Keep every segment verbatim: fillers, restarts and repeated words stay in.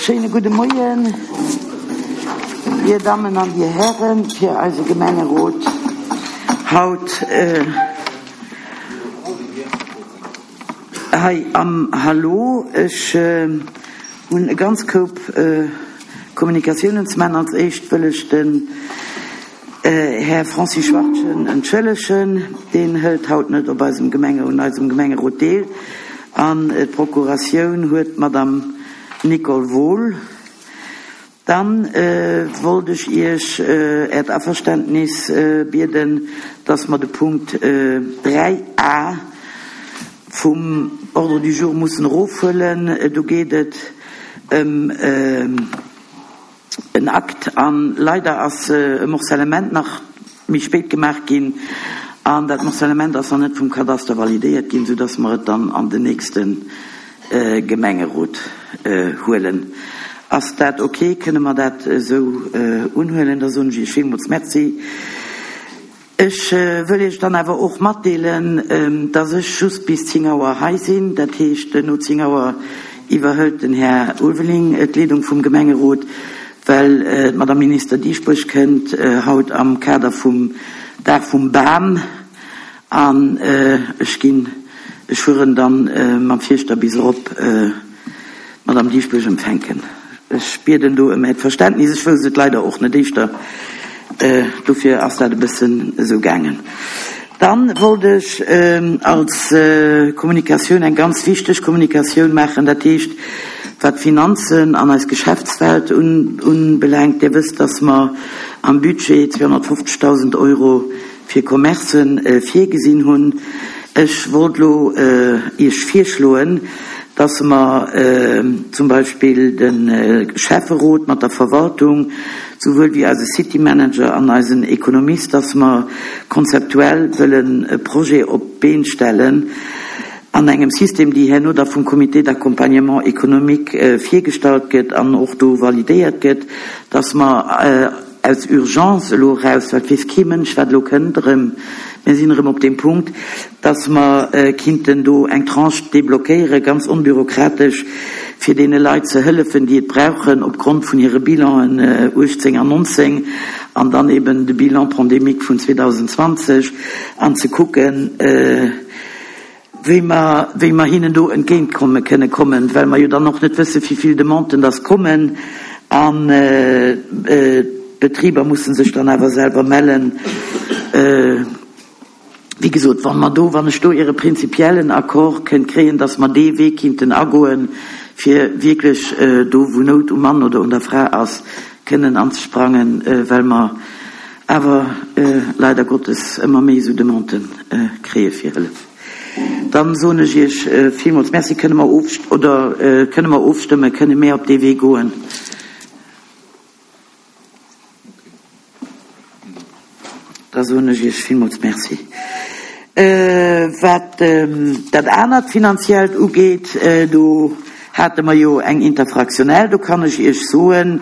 Schéine gudde Moien, Dir Dammen an Dir Hären, fir eise Gemengerot haut hei am Hallo. Ech hunn e ganz Koup Kommunikatiounen ze maachen. Als éischt wëll ech den Här Francis Schwachtgen entschëllegen. Deen hëlt haut net op eisem Gemenge, un eisem Gemengerot deel. An d'Procuratioun huet d'Madame Nicole Wohl. Dann wollt ech Iech Äert Averständnis bieden, dass mer de Punkt dräi a vum Ordre du jour mussen erofhuelen. Do geet et ëm en Akt an leider ass e Morcellement nach méi spéit gemaach ginn an dat Morcellement ass nach net vum Kadaster validéiert ginn, soudass mer et dann an den nächste Gemengerot huelen. Ass dat ok? Kënne mer dat esou unhuelen? Da soen ech Iech villmools Merci. Ech wëll Iech dann awer och matdeelen, dass ech just bis zéng Auer hei sinn. Dat heescht, no zéng Auer iwwerhëlt den Här Ulveling d'Leedung vum Gemengerot, well d'Madame Minister Dieschbourg kënnt haut am Kader vum Dag vum Bam an ech ginn, ech fueren dann mam Fierschter bis erop d'Madame Dieschbourg empfänken. Ech bieden do ëm Äert Verständnis. Ech wousst et leider och net éischter, dofir ass dat e bëssen esou gaangen. Dann wollt ech als Kommunikatioun eng ganz wichteg Kommunikatioun maachen, dat heescht wat d'Finanzen an eis Geschäftswelt unbelaangt. Dir wësst, dass mer am Budget zweehonnertfofzegdausend Euro fir Commercen virgesinn hunn. Ech wollt elo Iech virschloen, dass mer zum Beispill de Schäfferot mat der Verwaltung, souwuel wéi eise City Manager an eisen Ekonomist, dass mer konzeptuell wëllen e Projet op d'Been stellen an engem System, déi herno da vum Comité d'accompagnement économique virgestallt gëtt an och do validéiert gëtt, dass mer aus Urgence elo eraus, well et weess kee Mënsch, wat elo kënnt erëm, mir sinn erëm op deem Punkt, dass mer kinnten do eng Tranche débloquéieren, ganz onbürokratesch, fir deene Leit ze hëllefen, déi et brauchen, opgrond vun hire Bilanen uechtzéng an nonzéng an dann eben de Bilan pandémique vun zweedausendzwanzeg, an ze kucken, wéi mer, wéi mer hinnen do entgéintkomme kënne kommen, well mer jo dann och net wëssen, wéi vill Demanden dass kommen, an d'Betriber musse sech dann awer selwer mellen. Wéi gesot, wa mer do, wann ech do Äre prinzipiellen Accord kënnt kréien, dass mer dee Wee kinnten agoen, fir wierklech do, wou Nout um Mann oder un der Fra ass, kënnen anzesprangen, well mer awer leider Gottes ëmmer méi esou Demandë kréie fir Hëllef. Dann soen ech Iech villmools Merci. Kënne mer of, oder kënne mer ofstëmmen? Kënne mir op dee Wee goen? Da soen ech Iech villmools Merci. Wat dat anert Finanziellt ugeet, do hate mer jo eng interfraktionell. Do kann ech Iech soen,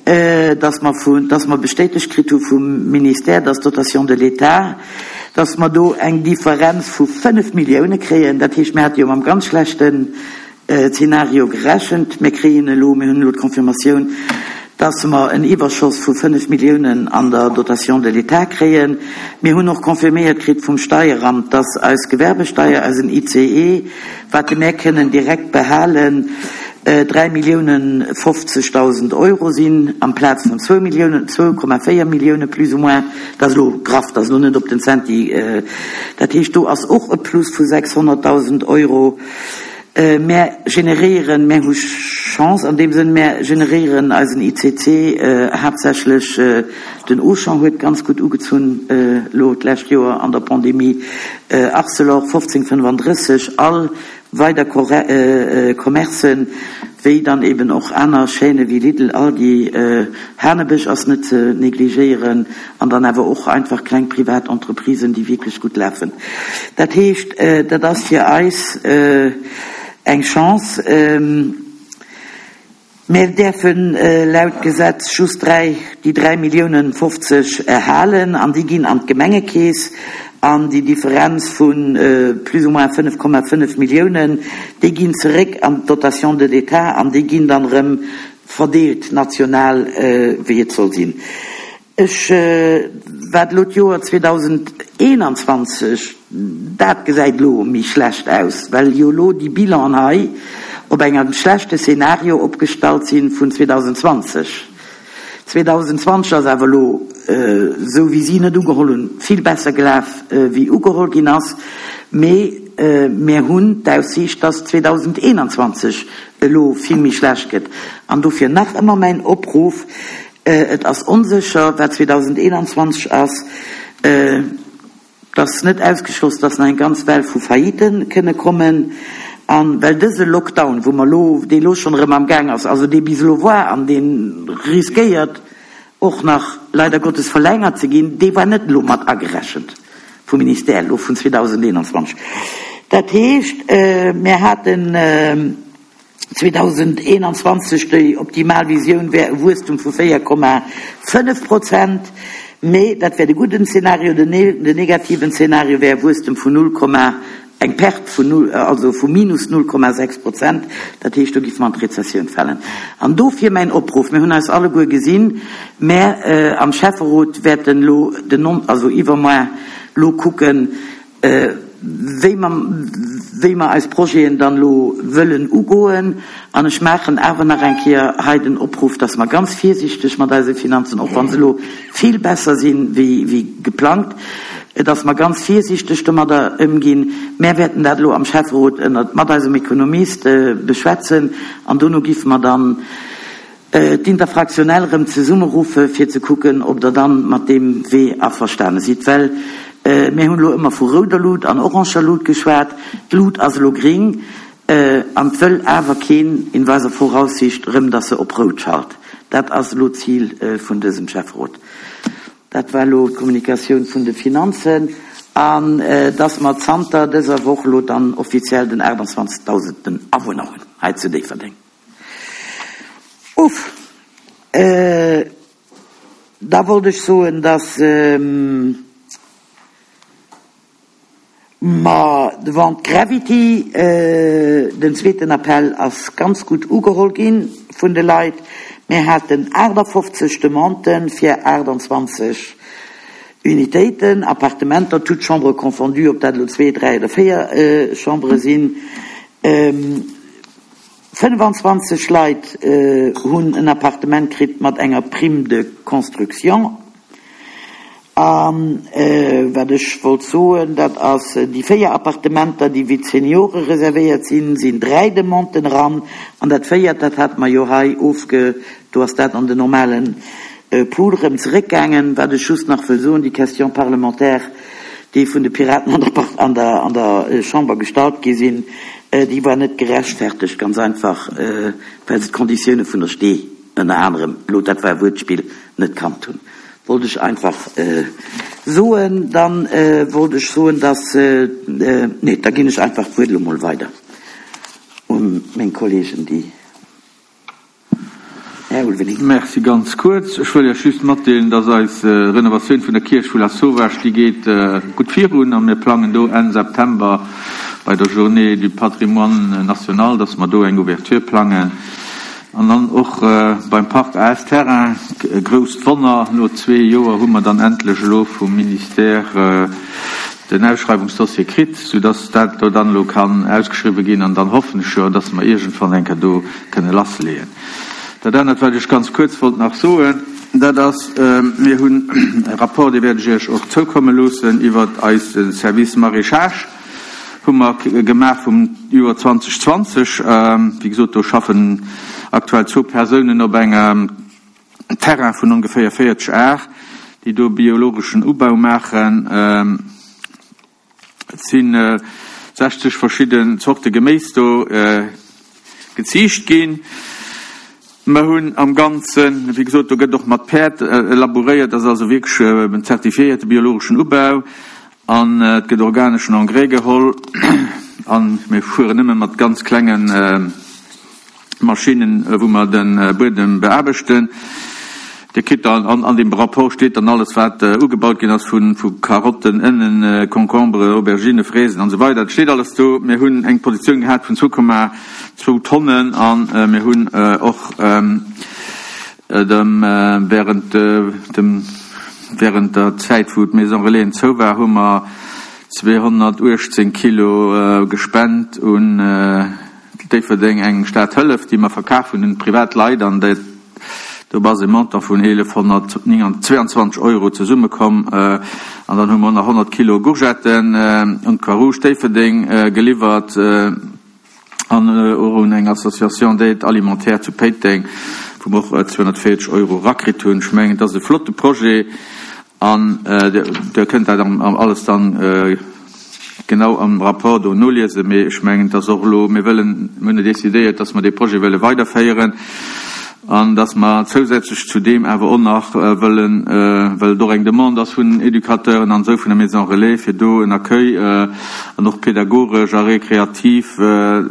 dass mer vun, dass mer bestätegt kritt hu vum Ministère, dass d'Dotation de l'État, dass mer do eng Differenz vu fënnef Millioune kréien. Dat heescht, mir hate jo mam ganz schlechten Zeenario gerechent. Mir kréien elo, mir hunn elo d'Confirmatioun, dass mer en Iwwerschoss vu fënnef Milliounen an der Dotation de l'État kréien. Mir hunn och confirméiert kritt vum Steieramt, dass eis Gewerbesteier, eisen I C E, wat mär kënnen direkt behalen, dräi Milliounen fofzegdausend Euro sinn, amplaz vun zwou Milliounen, zwou Komma véier Millioune plus ou moins. Dat ass elo graff, dat ass elo net op den Centi. Dat heescht, do ass och e Plus vu sechshonnertdausend Euro. Mär generéieren, mär hu Chance an deem Sënn, mär generéieren eisen I C C haaptsächlech, den Auchan huet ganz gutt ugezunn elo d'lescht Joer an der Pandemie, Arcelor fofzéng fënnefandrësseg, all weider Commercen, wéi dann eben och aner Chaîne wéi Lidl, Aldi, Hanebësch ass net ze negligéieren, an dann awer och einfach kleng privat Entreprisen, déi wierklech gutt lafen. Dat heescht, dat ass fir eis eng Chance. Mir däerfen laut Gesetz just dräi, déi dräi Milliounen fofzeg erhalen, an déi ginn an d'Gemengekeess, an déi Differenz vu plus ou moins fënnef Komma fënnef Milliounen, déi ginn zeréck an d'Dotation de l'État, an déi ginn dann erëm verdeelt national, wéi et soll sinn. Ech, wat elo d'Joer zweedausendeenanzwanzeg, dat gesäit elo méi schlecht aus, well jo elo déi Bilanen hei op engem schlechte Szenario opgestallt si vun zweedausendzwanzeg. Zweedausendzwanzeg ass awer elo, esou wéi si net ugeholl hunn, vill besser gelaf wéi ugeholl ginn ass, mee mir hunn d'Aussiicht, dass zweedausendeenanzwanzeg elo vill méi schlecht gëtt. An dofir nach ëmmer mäin Opruff, Et ass onsécher, wat zweedausendeenanzwanzeg ass. Et ass net ausgeschloss, dass nach eng ganz Well vu Faillite kënne kommen. A well dëse Lockdown, wou mer elo, dee elo schonn erëm am Gaang ass, also dee bis elo war an dee riskéiert och nach leider Gottes verlängert ze ginn, dee war net elo mat agerechent vum Ministère elo vun zweedausendeenanzwanzeg. Dat heescht, mir haten zweedausendeenanzwanzeg, déi optimal Visioun wär e Wuesstum vu véier Komma fënnef Prozent, mee dat wär de gudden Zeenario. Den negativen Zeenario wär e Wuesstum vun null Komma, eng Perte vun null, also vu minus null Komma sechs Prozent. Dat heescht, do géife mer an d'Rezessioun falen. An dofir mäin Opruff, mir hunn eis alleguer gesinn, mä am Schäfferot wäerten elo den, also iwwermoar elo kucken, wéi mer, wéi mer eis Projeten dann elo wëllen ugoen. An ech maachen awer nach eng Kéier hei den Opruff, dass mer ganz virsiichteg mat eise Finanzen, och wa se elo vill besser si wéi, wéi geplangt, dass mer ganz virsiichteg domadder ëmginn. Mär wäerten dat elo am Schäfferot ënnert, mat eisem Ekonomist beschwätzen an dono giffe mer dann d'Interfractionnelle erëm zesummeruffe fir ze kucken, ob Der dann mat deem Wee averstane sidd. Well mir hunn elo ëmmer vu rouder Lut an oranger Lut geschwat. D'Lut ass elo gring an et wëll awer keen in weiser Voraussicht erëm, datt se op rout schalt. Dat ass elo d'Zil vun dësem Schäfferot. Dat war elo d'Kommunikatioun vun de Finanzen. An datt mer zanter dëser Woch elo dann offiziell den aachtanzwanzegdausendten Awunner hunn hei zu Déifferdeng. Uff. Da wollt ech soen, dass mer de Vente Gravity, den zweeten Appell ass ganz gutt ugeholl gi vun de Leit. Mir haten aachtafofzeg Demanden fir aachtanzwanzeg Unitéiten, Appartementer, toutes chambres confondues, ob dat elo zwee, dräi oder véier Chambere sinn. fënnefanzwanzeg Leit hunn en Appartement kritt mat enger Prime de construction. A wat ech wollt soen, dat ass, déi véier Appartementer, déi fir d'Seniore reservéiert sinn, sinn dräi Demanden eran. An dat véiert, dat hate mer jo hei ofge-, do ass dat an den normale Pool erëm zeréckgaangen. Wat ech just nach wëll soen, déi Question parlementaire, déi vun de Piraten an der, an der, an der Chamber gestallt gi sinn, déi war net gerechtfertegt, ganz einfach, well se d'Konditioune vun der Stee ënner anerem, elo dat war e Wuertspill, net kannt hunn. Wollt ech einfach soen. Dann wollt ech soen, dass, nee, da ginn ech einfach d'Wuert elo mol weider un meng Kollegen, déi. Här Ulveling. Merci. Ganz kuerz, ech wëll Iech just matdeelen, dass eis Renovatioun vun der Kierch vu Lasauvage, déi geet gutt virun a mir plangen do Enn September bei der Journée du Patrimoine national, dass mer do eng Ouverture plangen. An dann och beim Parc A S Terrain, e grousst Wonner, no zwee Joer hu mer dann endlech elo vum Ministère den Ausschreiwungsdossier kritt, soudass dat do dann elo kann ausgeschriwwen ginn an dann hoffen ech jo, dass mer iergendwann eng Kéier do kënne lassleeën. Dat anert, wat ech ganz kuerz wollt nach soen, dat ass, mir hunn e Rapport, dee wäert ech Iech och zoukomme loossen, iwwert eise Service Maraîchage hu mer gemaach vum Joer zweedausendzwanzeg. Wéi gesot, do schaffen aktuell zwou Persounen op engem Terrain vun ongeféier véierzeg Ar, déi do biologeschen Ubau maachen. Et si sechzeg verschidden Zorte Geméis do geziicht ginn. Mer hunn am Ganzen, wéi gesot, do gëtt och mat Päerd labouréiert, dat ass also wierklech en zertifiéierte biologeschen Ubau an et gëtt organeschen Engrais geholl a mir fueren nëmme mat ganz klenge Maschinnen, wou mer de Buedem beaarbechten. Dir kritt dann an, an deem Rapport steet dann alles, wat äh, ugebaut ginn ass vun, vu Karotten, Ënnen, äh, Concombre, Aubergine, Fraisen an esou weider. Dat steet alles do. Mir hunn eng Produktioun gehat vun zwou Komma zwou Tonnen an äh, mir hunn äh, och ähm, äh, dem, äh, während, äh, dem, während der Zäit, wou d'Maison Relaisen zou war, hu mer zweehonnertuechtzéng Kilo äh, gespent un äh, Déifferdeng eng Stadhëllef, déi mer verkaf hunn un privat Leit an dat do ass e Montant vun eelefhonnertzweianzwanzeg Euro zesummekomm. Äh, an dann hu mer nach honnert Kilo Courgetten äh, un d'Croix-Rouge Déifferdeng äh, geliwwert äh, an äh, och un eng Association d'aide alimentaire zu Péiteng, wou mer och äh, zweehonnertvéierzeg Euro rakritt hunn. Ech mengen, dat ass e flotte Projet an äh, der, der kënnt dat am, am alles dann äh, genau am Rapport do noliesen, mee ech mengen, dass och lo mir wëllen mir hunn decidéiert, dass mer dee Projet wëlle weiderféieren an dass mer zousätzlech zu deem awer och nach äh, wëllen, äh, well do eng Demande ass vun Educateuren an sou vun der Maison Relais fir do en Accueil äh, an och pädagogesch a rekreativ äh, äh,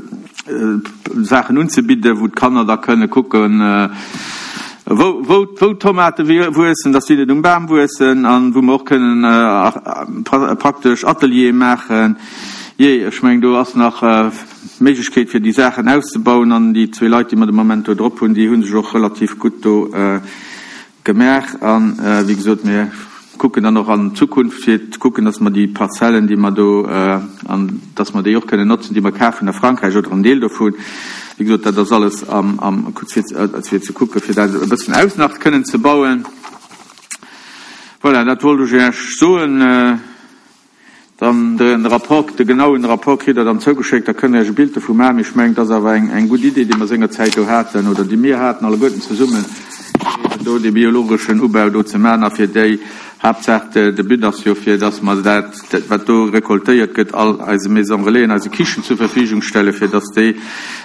Saachen unzebidden, wou d'Kanner da kënne kucken, äh, wou, wou, wou Tomate wuessen, dass si net um Bam wuessen an wou mer och kënnen äh, pra praktesch Ateliere maachen. Jee, ech mengen, do ass nach äh, Méiglechkeet fir déi Saachen auszebauen an déi zwee Leit, déi mer de Moment do drop hunn, déi hunn sech och relativ gutt do äh, gemaach an äh, wéi gesot, mir kucken dann och an Zukunft fir ze kucken, dass mer déi Parzellen, déi mer do äh, an dass mer déi och kënnen notzen, déi mer kafen a Frankräich oder en Deel dovun. Wéi gesot, dat ass alles am, am fir, fir ze kucken, fir dat e bëssen aus nach kënnen ze bauen. Voilà, dat wollt ech Iech soen. Äh, dann de Rapport, de genauen Rapport kritt der dann zougeschéckt, da kënnt der Iech e Bild dovu maachen. Ech mengen, dat ass awer eng, eng gutt Idee, déi mer sengerzäit do haten oder déi mir haten alleguerten zesummen, fir do de biologeschen Ubau do ze maachen a fir déi Haaptsaach de, de But ass jo fir, dass mer dat, dat wat do rekoltéiert gëtt, all eise Maison Relais, eise Kichen zur Verfügung stelle fir dass déi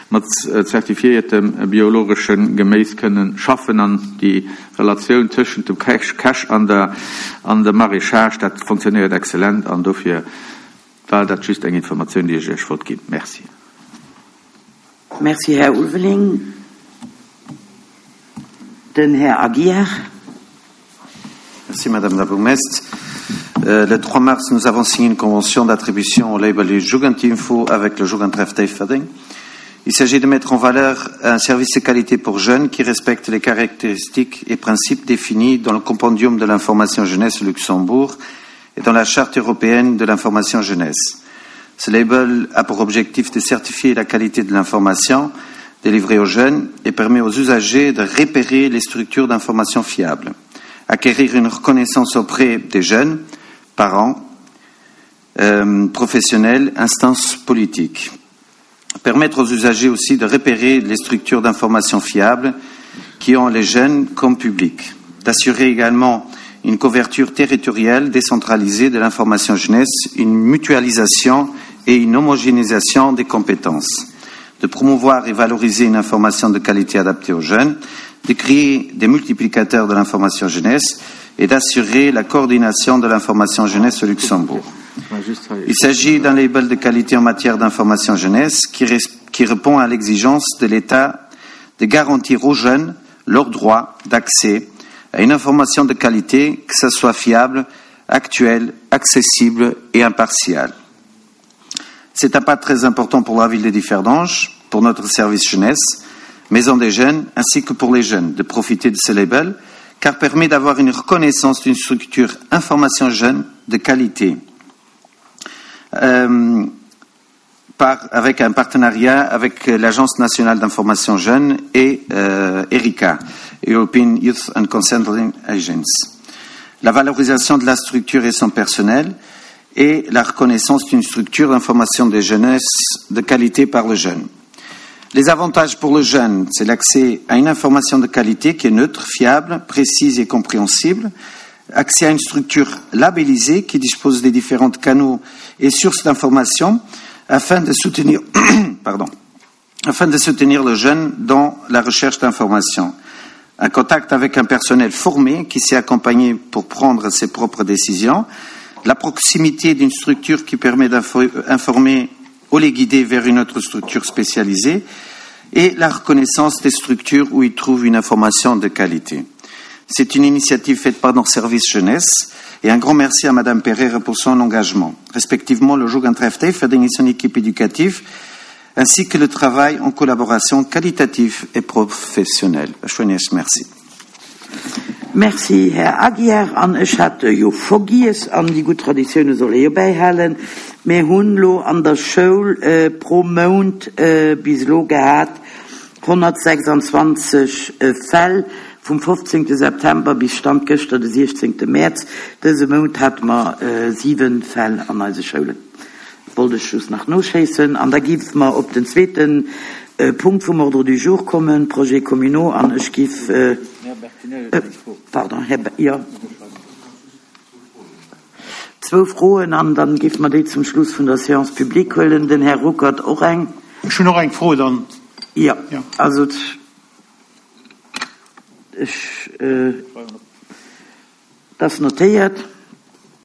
mat zertifiéiertem biologeschen Geméis kënnen schaffen an déi Relatioun tëschent dem Käch, Käch an der an der Maraîchage, dat funktionéiert exzellent an dofir war dat just eng Informatioun, déi ech Iech wollt ginn. Merci. Merci, Här Ulveling. Den Här Aguiar. Merci, Madame la bourgmestre. Euh, le trois mars, nous avons signé une convention d'attribution au label Jugendinfo avec le Jugendtreff Déifferdeng. Il s'agit de mettre en valeur un service de qualité pour jeunes qui respecte les caractéristiques et principes définis dans le compendium de l'information jeunesse au Luxembourg et dans la Charte européenne de l'information jeunesse. Ce label a pour objectif de certifier la qualité de l'information délivrée aux jeunes et permet aux usagers de repérer les structures d'information fiables, acquérir une reconnaissance auprès des jeunes, parents, euh, professionnels, instances politiques. Permettre aux usagers aussi de repérer les structures d'information fiables qui ont les jeunes comme public. D'assurer également une couverture territoriale décentralisée de l'information jeunesse, une mutualisation et une homogénéisation des compétences. De promouvoir et valoriser une information de qualité adaptée aux jeunes, de créer des multiplicateurs de l'information jeunesse et d'assurer la coordination de l'information jeunesse au Luxembourg. Il s'agit d'un label de qualité en matière d'information jeunesse qui, qui répond à l'exigence de l'État de garantir aux jeunes leur droit d'accès à une information de qualité, que ce soit fiable, actuelle, accessible et impartiale. C'est un pas très important pour la ville de Differdange, pour notre service jeunesse, Maison des jeunes, ainsi que pour les jeunes, de profiter de ce label, car permet d'avoir une reconnaissance d'une structure information jeune de qualité. Euh, par, avec un partenariat avec l'Agence nationale d'information jeune et euh, ERICA, European Youth and Consulting Agency. La valorisation de la structure et son personnel et la reconnaissance d'une structure d'information des jeunesses de qualité par le jeune. Les avantages pour le jeune, c'est l'accès à une information de qualité qui est neutre, fiable, précise et compréhensible, accès à une structure labellisée qui dispose des différents canaux et sources d'information afin de soutenir, pardon, afin de soutenir le jeune dans la recherche d'informations. Un contact avec un personnel formé qui sait accompagner pour prendre ses propres décisions, la proximité d'une structure qui permet d'informer ou les guider vers une autre structure spécialisée et la reconnaissance des structures où ils trouvent une information de qualité. C'est une initiative faite par nos services jeunesse et un grand merci à Madame Pereira pour son engagement. Respectivement, le Jugendtreff Déifferdeng et son équipe éducative, ainsi que le travail en collaboration qualitative et professionnelle. Merci. Merci, Här Aguiar. An ech hat jo vergiess, an déi gutt Traditioune soll ee jo bäihalen, mir hunn elo an der Schoul pro Mount bis elo gehat honnertsechsundzwanzeg Fäll vum fofzéngte September bis Stand gëschter de siechzéngte Mäerz. Dëse Mount hate mer siwe Fäll an eise Schoulen. Wollt ech just nach noschéissen. An da géife mer op den zweete Punkt vum Ordre du jour kommen, Projets communaux, an ech géif, pardon, Här, jo, zwou Froen, an dann géife mer déi zum Schluss vun der Séance publique huelen. Den Här Ruckert och eng. Ech hunn och eng Fro dann. Jo, also ech, dat ass notéiert.